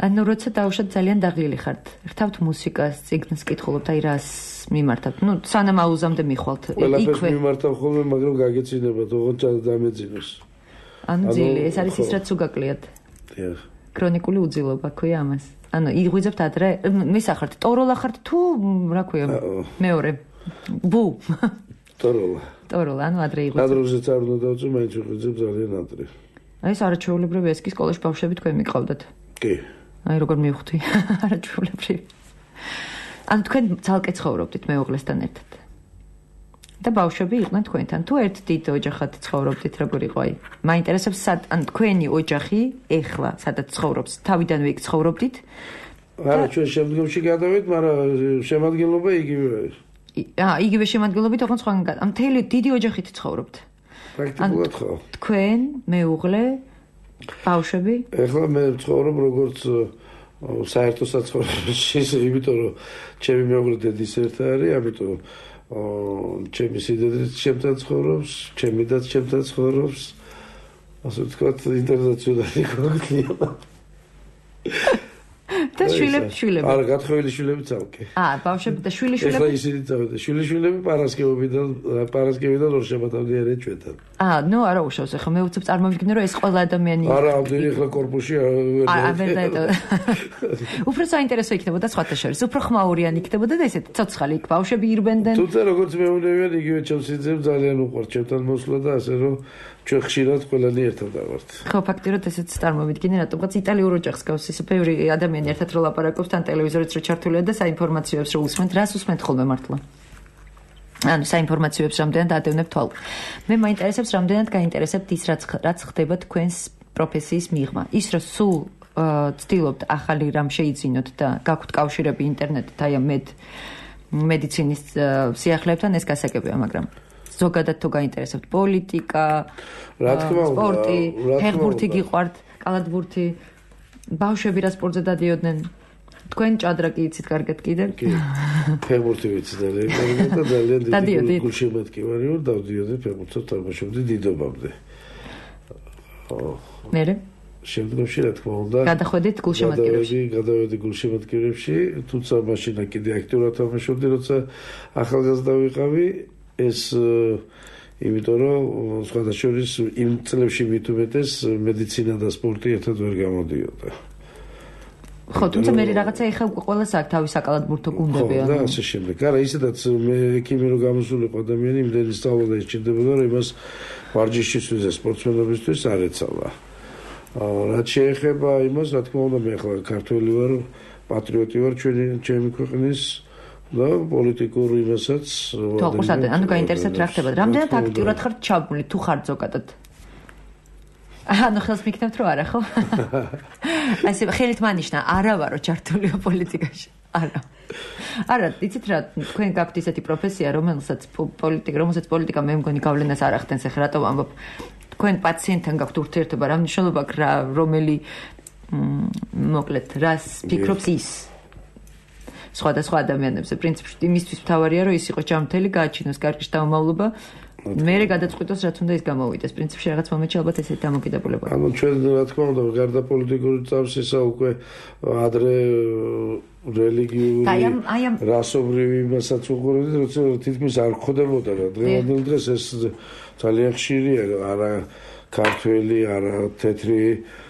ანუ როცა დავუშვათ ძალიან დაღლილი ხართ, ხთავთ მუსიკას, წიგნს კითხულობთ, აი რას მიმართავთ? ნუ სანამ აუზამდე მიხვალთ. ყველაფერს მიმართავ ხოლმე, მაგრამ გაგეცინებათ, ოღონდ დამეძინოს. ანუ ძილი, ეს არის ის რაც უგაკლიათ. დიახ. ქრონიკული უძილობა ქვია ამას. ანუ იღვიძებთ ადრე, მისახართ, ტოროლა ხართ თუ რა ქვია? მეორე. ბუ. ტოროლა, ანუ ადრე იღვიძებთ. ადრეზე არ უნდა დავწერ, მაინც ვიღვიძებ ძალიან ადრე. აი ეს არაჩვეულებრივი ესკის სკოლაში ბავშვები თქვენ მიყავდათ. კი. აი როგორ მივხვდი, არაჩვეულებრივი. ანუ თქვენ ძალკე ცხოვრობდით მეუღლესთან ერთად. და ბავშვები იყვნენ თქვენთან. თუ ერთ დიდ ოჯახად ცხოვრობდით, როგორ იყო აი? მაინტერესებს ან თქვენი ოჯახი ეხლა სადაც ცხოვრობს, თავიდანვე იქ ცხოვრობდით? არა, ჩვენ შემდგომში გადავით, მაგრამ შემადგენლობა იგივე არის. იგივე შემადგენლობით, ოღონდ სხვაგან. ამ მთელი დიდი ოჯახით ცხოვრობთ. პრაქტიკულად ხო. თქვენ, მეუღლე, ბავშვები? ეხლა მე ვცხოვრობ როგორც საერთო საცხოვრებელში, იმიტომ რომ ჩემი მეუღლე დედის ერთად არის, ამიტომ ჩემი სიდიდით ჩემთან ცხოვრობს, ჩემი და ჩემთან ცხოვრობს. ასე ვთქვათ, ინტერნაციონალი კონფლიქტია. და შვილები. არა, გათხოვილი შვილები წავკე. ბავშვები და შვილიშვილები. ეხლა ისინი წავედა. შვილიშვილები პარასკევიდან ორშაბათამდე არიან ჩვენთან. ნუ არა უშავს, ეხლა მე უცებ წარმოვიდგინე, რომ ეს ყველა ადამიანი არა, ამდენი ეხლა корпуსი უფრო საინტერესო იქნებოდა სხვათა შორის. უფრო ხმაურიანი იქნებოდა და ესეთ ცოცხალი იქ ბავშვები ირბენდნენ. თუმცა როგორც მეუბნებიან, იგივე ჩემსიძემ ძალიან უყვართ ჩემთან მოსვლა და ასე რომ ჩვენ ხშირად ყველანი ერთად დავართ. ხო, ფაქტიურად ესეც წარმოვიდგინე, რატომღაც იტალიურ ოჯახს გავს ისე ბევრი ადამიანი ერთად რო ლაპარაკობს, თან ტელევიზორიც რო ჩართულია და საინფორმაციოებს რო უსმენთ, რას უსმენთ ხოლმე მართლა? საინფორმაციოებს რამდენად ადევნებ თვალ. მე მაინტერესებს, რამდენად გაინტერესებთ ის, რაც ხდება თქვენს პროფესიის მიღმა. ის, რომ სულ ცდილობთ ახალი რამ შეიძინოთ და გაქვთ კავშირები ინტერნეტით, აი ამ მედიცინის სიახლეებთან, ეს გასაგებია, მაგრამ ზოგადად თუ გაინტერესებთ პოლიტიკა, სპორტი, ფეხბურთი გიყვართ, კალათბურთი, ბავშვები რა სპორტზე დადიოდნენ? თქვენ ჭადრაკი იცით კარგად კიდევ? კი. ფეხბურთი ვიცი ძალიან კარგად და ძალიან დიდი გულშემატკივარი ვარ, დავდიოდი ფეხბურთს თამაშობდი დიდობამდე. მერე? შემდგომში რა თქმა უნდა. გადახვედით გულშემატკივრებში. გადავედი გულშემატკივრებში, თუმცა მაშინ კიდე აქტიურად თამაშობდი, როცა ახალგაზრდა ვიყავი. ეს იმიტომ რომ სხვადასხვა იმ წლებში მით უმეტეს მედიცინა და სპორტი ერთად ვერ გამოდიოდა. ხო, თუმცა მე რაღაცა ეხა ყველას აქვს თავის საკალათბურთო გუნდები. და ასე შემდეგ. არა, ისედაც მე ექიმი რო გამოსულიყო ადამიანი, იმდენი სწავლა და ისჭირდებოდა, რომ იმას ვარჯიშისთვის და სპორტსმენობისთვის არ ეცალა. რაც შეეხება იმას, რა თქმა უნდა, მე ახლა ქართველი ვარ, პატრიოტი ვარ ჩემი ქვეყნის და პოლიტიკურ იმასაც თვალყურსადენ, ანუ გაინტერესებთ რა ხდება. რამდენად აქტიურად ხართ ჩაბმული, თუ ხართ ზოგადად? ნუ ხელს მიქნებთ რომ არა, ხო? ასე ხელით მანიშნა, არა ვარო ჩართულია პოლიტიკაში. არა, იცით რა, თქვენ გაქვთ ისეთი პროფესია, რომელსაც პოლიტიკა მე მგონი გავლენას არ ახდენს, ეხლა რატომ ამბობ? თქვენ პაციენტთან გაქვთ ურთიერთობა, რა მნიშვნელობა აქვს, რომელი მოკლედ, რას ფიქრობს ის? სხვადასხვა ადამიანებზე, პრინციპში იმისთვის მთავარია, რომ ის იყოს ჯანმრთელი, გააჩინოს კარგი შთამომავლობა, მერე გადაწყვიტოს, რაც უნდა ის გამოვიდეს. პრინციპში რაღაც მომენტში ალბათ ესეთი დამოკიდებულება. ანუ ჩვენ რა თქმა უნდა, გარდა პოლიტიკური წამსისა უკვე ადრე რელიგიური, რასობრივი იმასაც უყურებდით, როცა თითქმის არ ხდებოდა რა. დღევანდელ დღეს ეს ძალიან ხშირია, არა ქართველი, არა თეთრი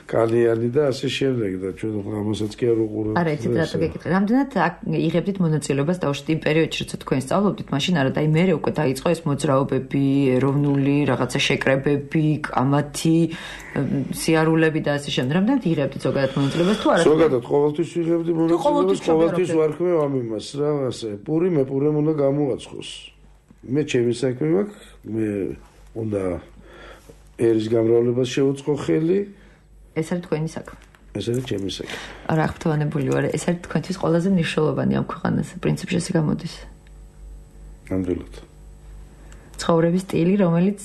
კალიანი და ასე შემდეგ და ჩვენ ამასაც კი არ უყურებთ. არა, იცით რატო გეკითხე. რამდენად იღებდით მონაწილეობას დაუშვით იმ პერიოდში, როცა თქვენ სწავლობდით, მაშინ არა და მე უკვე დაიწყო ეს მოძრაობები, ეროვნული რაღაცა შეკრებები, კამათი, სიარულები და ასე შემდეგ. რამდენად იღებდით ზოგადად მონაწილეობას თუ არა? ზოგადად ყოველთვის ვიღებდი მონაწილეობას, ყოველთვის ვარქმევ ამ იმას რა, ასე. მე პურემ უნდა გამოაცხოს. მე ჩემი საქმე მაქვს, მე უნდა ერის გამრავლებას შევუწყო ხელი. ეს არის თქვენი საქმე. ეს არის ჩემი საქმე. არა, აღფრთოვანებული ვარ. ეს არის თქვენთვის ყველაზე მნიშვნელოვანი ამ ქვეყანაზე. პრინციპში ესე გამოდის. ნამდვილად. ცხოვრების სტილი, რომელიც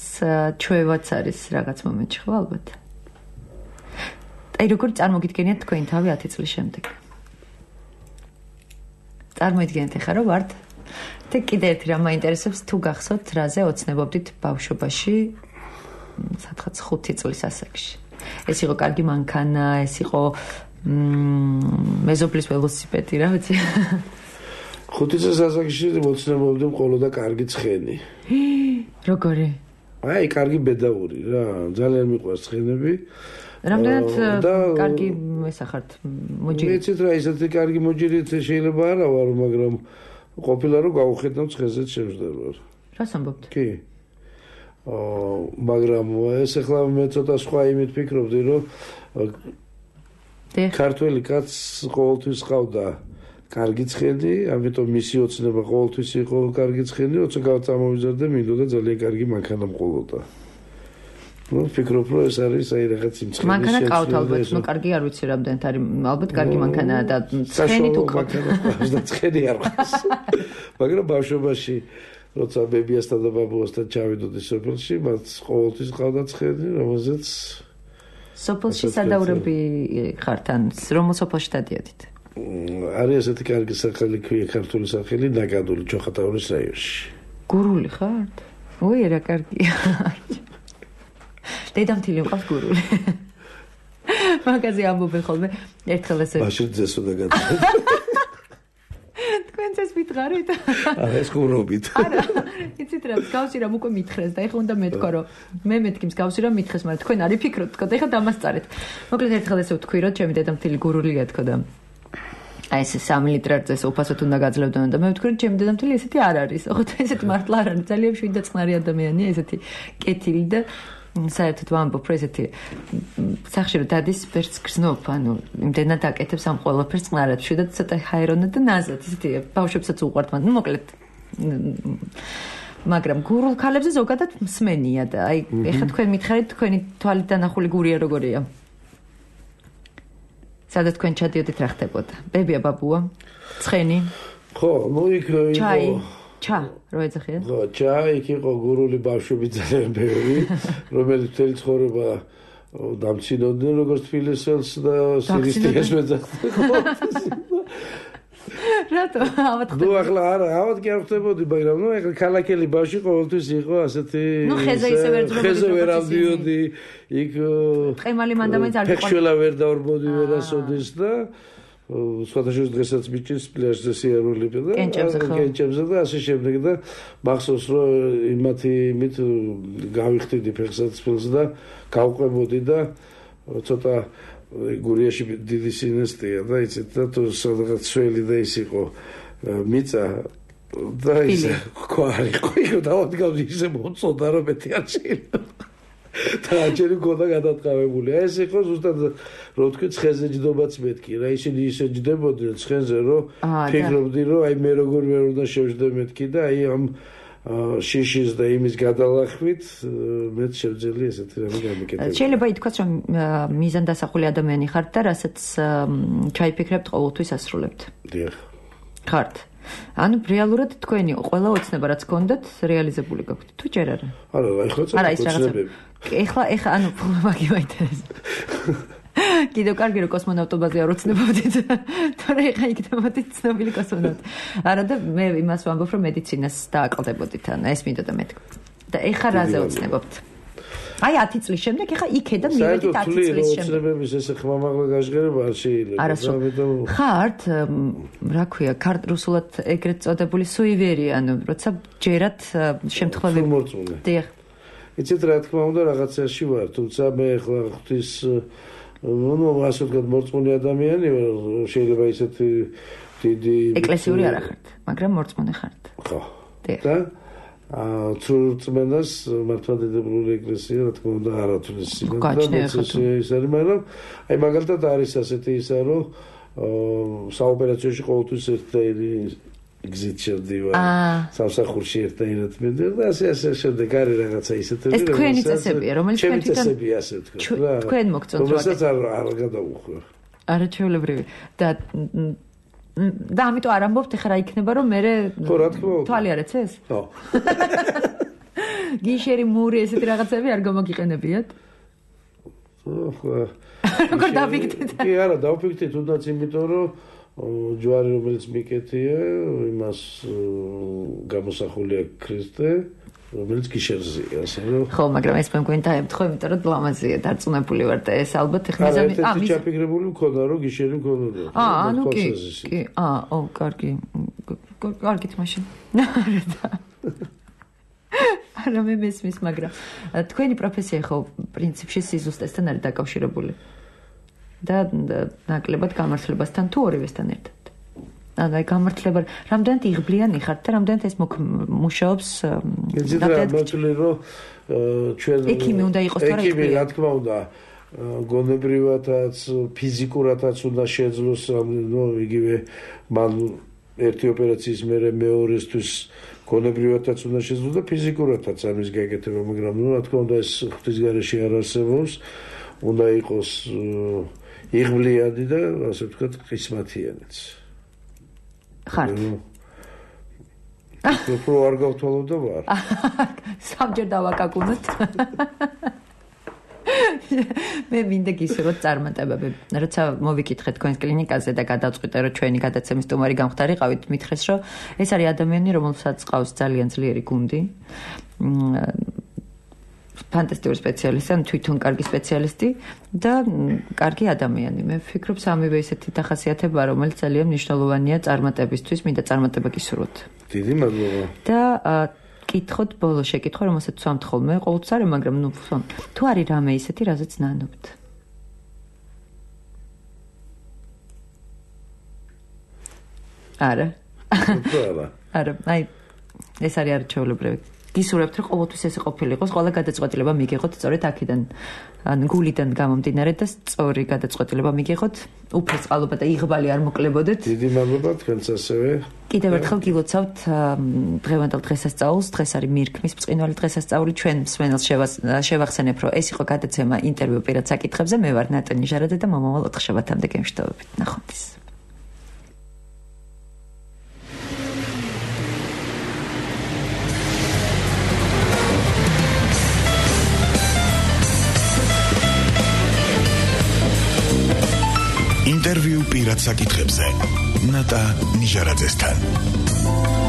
ჩვევაც არის რაღაც მომენტში, ხო ალბათ. აი, როგორ წარმოგიდგენიათ თქვენი თავი 10 წლის შემდეგ? წარმოიდგინეთ ახლა რომ ვართ და კიდე ერთი რამ მაინტერესებს, თუ გახსოვთ, რაზე ოცნებობდით ბავშვობაში, სადღაც 5 წლის ასაკში. ეს იყო კარგი მანქანა, ეს იყო მეზობლის ველოსიპედი, რა ვიცი. 5 წლის ასაკში მოცნებობდი მხოლოდ და კარგი ცხენი. როგორი? აი, კარგი ბედაური რა, ძალიან მიყვარს ცხენები. რამდენად კარგი ესახართ მოჯილი? მეცით რა, ისეთი კარგი მოჯილით შეიძლება არა ვარ, მაგრამ ყოფილა რომ გავუხედავ ცხენზეც შემждდარ. რას ამბობთ? კი. მაგრამ ეს ახლა მე ცოტა სხვა იმით ფიქრობდი, რომ ქართველი კაცს ყოველთვის ყავდა კარგი ცხენი, ამიტომ მისი ოცნება ყოველთვის იყო კარგი ცხენი, როცა გავწამოვიზარდე, მინდოდა ძალიან კარგი მანქანა მყოლოდა. ნუ ფიქრობ, რომ ეს არის აი რაღაც იმ ცხენის მანქანა ყავთ ალბათ, ნუ კარგი არ ვიცი რამდენად არის, ალბათ კარგი მანქანაა და ცხენი თუ ყავთ. და ცხენი არ ყავს. მაგრამ ბავშვობაში როცა ბებიასთან და ბაბუასთან ჩავიდოდი სოფელში, მათ ყოველთვის ყავდათ ხედი, რომელზეც სოფელში სადაურები ხართ ან რომელ სოფელში დადიოდით? არის ესეთი კარგი სახელი, ქვია ქართული სახელი, ნაკადული, ჩოხატაურის რაიონში. გურული ხართ? ой, რა კარგია. დედამთილი მყავს გურული. მაგაზე ამბობენ ხოლმე ერთხელ ესე. მაშინ ძესო და გადადა. თქვენ ეს მითხარით? არა, ეს გურობით. არა, იცით რა, მსგავსი რამ უკვე მითხრეს და ეხლა უნდა მეთქვა რომ მე მეთქი მსგავსი რამ მითხეს, მაგრამ თქვენ არი ფიქრობთ, თქო და ეხლა დამასწარეთ. მოკლედ ერთხელ ესე ვთქვი რომ ჩემი დედამთილი გურულია თქო და აი ეს 3 ლიტრზე უფასოდ უნდა გაძლევდნენ და მე ვთქვი რომ ჩემი დედამთილი ესეთი არ არის. ოღონდ ესეთი მართლა არ არის, ძალიან შვიდ და წყნარი ადამიანია, ესეთი კეთილი და საერთოდ ვამბობ რომ ესეთი სახში რომ დადის ვერც გრძნობ, ანუ იმდენად აკეთებს ამ ყველაფერს წყნარად, შვიდად ცოტა ჰაერონად და ნაზად, ესეთი ბავშვებსაც უყვართ მათ. ნუ მოკლედ მაგრამ გურულ ქალებზე ზოგადად მსმენია და აი ეხლა თქვენ მითხარით თქვენი თვალით დანახული გურია როგორია? სადაც თქვენ ჩადიოდით რა ხდებოდა? ბებია, ბაბუა, ცხენი? ხო, ნუ იქ იყო ჩა, რო ეძახია? ხო, ჩა, იქ იყო გურული ბავშვები ძალიან ბევრი, რომელიც მთელი ცხოვრება დამცინოდნენ როგორც თბილისელს და სირისტიას მეძახდნენ. რატო? ავად ხდება? ნუ ახლა არა, ავად კი არ ხდებოდი, მაგრამ ნუ ახლა ქალაქელი ბავშვი ყოველთვის იყო ასეთი ნუ ხეზე ისე ვერ ძრობოდი. ხეზე ვერ ავდიოდი, იქ ყემალი მანდამაინც არ იყო. ფეხშველა ვერ დავრბოდი ვერასოდეს და სხვადასხვა დღესაც მიჭირს პლაჟზე სიარული და კენჭებზე და ასე შემდეგ და მახსოვს რომ იმით გავიხდიდი ფეხსაცმელს და გავყვებოდი და ცოტა გურიაში დიდი სინესტია და იცით და თუ სადღაც სველი და ის იყო მიწა და ისე ყვარი იყო და ავდგავდი ისე მოწოდა რომ მეტი არ შეიძლება და აჭერი გოდა გადატყავებული. ეს იყო ზუსტად რო თქვი ცხენზე ჯდობაც მეთქი რა, ისინი ისე ჯდებოდნენ ცხენზე რომ ფიქრობდი რომ აი მე როგორ ვერ უნდა შევჯდე მეთქი და აი ამ შიშის და იმის გადალახვით მეც შევძელი ესეთი რამე გამიკეთებინა. შეიძლება ითქვას რომ მიზანდასახული ადამიანი ხართ და რასაც ჩაიფიქრებთ ყოველთვის ასრულებთ. დიახ. ხართ. ანუ რეალურად თქვენი ყველა ოცნება რაც გქონდათ რეალიზებული გაქვთ თუ ჯერ არა? არა, ეხლა წავიდები. ეხლა ანუ მაგი მაინტერესებს. კიდევ კარგი რომ კოსმონავტობაზე არ ოცნებობდით. თორე ეხლა იქნებოდით ცნობილი კოსმონავტი. არა და მე იმას ვამბობ რომ მედიცინას დააყალდებოდით, ანუ ეს მინდოდა მეთქვა. და ეხლა რაზე ოცნებობთ? აი 10 წლის შემდეგ ეხლა იქედა მივედით 10 წლის შემდეგ. ოცნებების ესე ხმამაღლა გაჟღერება არ შეიძლება. ხართ, რა ქვია, რუსულად ეგრეთ წოდებული სუივერი, ანუ როცა ჯერათ შემთხვევები. დიახ. იცით რა თქმა უნდა რაღაცაში ვარ, თუმცა მე ახლა ღვთის ნუ ასე ვთქვათ მორწმუნე ადამიანი ვარ, შეიძლება ისეთი დიდი ეკლესიური არ ხართ, მაგრამ მორწმუნე ხართ. ხო. და წმენდას მართლმადიდებლური ეკლესია რა თქმა უნდა არათვლის ის არის, მაგრამ აი მაგალითად არის ასეთი ისა რომ საოპერაციოში ყოველთვის ერთდაირი გზით შევდივარ, სამსახურში ერთდაირად მივდივარ და ასე შემდეგ არის რაღაცა ისეთები, ეს თქვენი წესებია, რომელიც თქვენ თვითონ წესებია ასე ვთქვათ. თქვენ მოგწონთ რა. რომელსაც არ გადავუხვევ. არაჩვეულებრივი და ამიტომ არ ამბობთ ეხლა რა იქნება რომ მე თვალი არ ეცეს? ხო. გიშერი მური ესეთი რაღაცები არ გამოგიყენებიათ? ხო. როგორ დავიქდეთ? კი არა, დავფიქრდი თუნდაც იმიტომ რომ ჯვარი რომელიც მიკეთია, იმას გამოსახულია ქრისტე, რომელიც გიშერზეა, ასე რომ ხო, მაგრამ ეს მე მგონი დაემთხო, იმიტომ რომ ლამაზია, დარწმუნებული ვარ და ეს ალბათ ეხლა მიზანი ჩაფიქრებული მქონდა, რომ გიშერი მქონოდა. ანუ კი. კარგი. კარგით მაშინ. არა მე მესმის, მაგრამ თქვენი პროფესია ხო პრინციპში სიზუსტესთან არის დაკავშირებული. და ნაკლებად გამართლებასთან თუ ორივესთან ერთად. ანუ აი გამართლება რამდენად იღბლიანი ხართ და რამდენად ეს მუშაობს ნამდვილად რომ ჩვენ ექიმი უნდა იყოს თორე ექიმი რა თქმა უნდა გონებრივადაც ფიზიკურადაც უნდა შეძლოს ნუ იგივე მან ერთი ოპერაციის მერე მეორესთვის გონებრივადაც უნდა შეძლოს და ფიზიკურადაც ამის გაკეთება, მაგრამ ნუ რა თქმა უნდა ეს ღვთის გარეშე არ არსებობს, უნდა იყოს იღბლიანი და ასე ვთქვათ ყისმათიანიც. ხართ. უფრო არ გავთვალო და ვარ. სამჯერ დავაკაკუნოთ. მე მინდა გისურვოთ წარმატებები. როცა მოვიკითხეთ თქვენს კლინიკაზე და გადავწყვიტე, რომ ჩვენი გადაცემის სტუმარი გამხდარიყავით, მითხრეს, რომ ეს არის ადამიანი, რომელსაც ყავს ძალიან ძლიერი გუნდი. ფანტასტიკური სპეციალისტი, ან თვითონ კარგი სპეციალისტი და კარგი ადამიანი. მე ვფიქრობ, სამივე ესეთი დახასიათება, რომელიც ძალიან მნიშვნელოვანია წარმატებისთვის, მინდა წარმატება გისურვოთ. დიდი მადლობა. და კითხოთ ბოლო შეკითხვა, რომელსაც ვსვამთ ხოლმე, ყოველთვის არა, მაგრამ თუ არის რამე ისეთი, რაზეც ნანობთ. არა. არა, აი ეს არის არჩეულებრივი. გისურვებთ, რომ ყოველთვის ესე ყოფილიყოს, ყველა გადაწყვეტილება მიგიღოთ სწორედ აქედან, ან გულიდან გამომდინარე და სწორი გადაწყვეტილება მიგიღოთ, უფლის წყალობა და იღბალი არ მოკლებოდეთ. დიდი მადლობა თქვენს ასევე. კიდევ ერთხელ გილოცავთ დღევანდელ დღესასწაულს, დღეს არის მირქმის ბრწყინვალე დღესასწაული, ჩვენ მსმენელს შევახსენებ, რომ ეს იყო გადაცემა ინტერვიუ პირად საკითხებზე, მე ვარ ნატონი ჟარაძე და მომავალ 4 შაბათამდე გემშვიდობებით. ნახვამდის. ინტერვიუ პირად საკითხებზე ნატა ნიჟარაძესთან.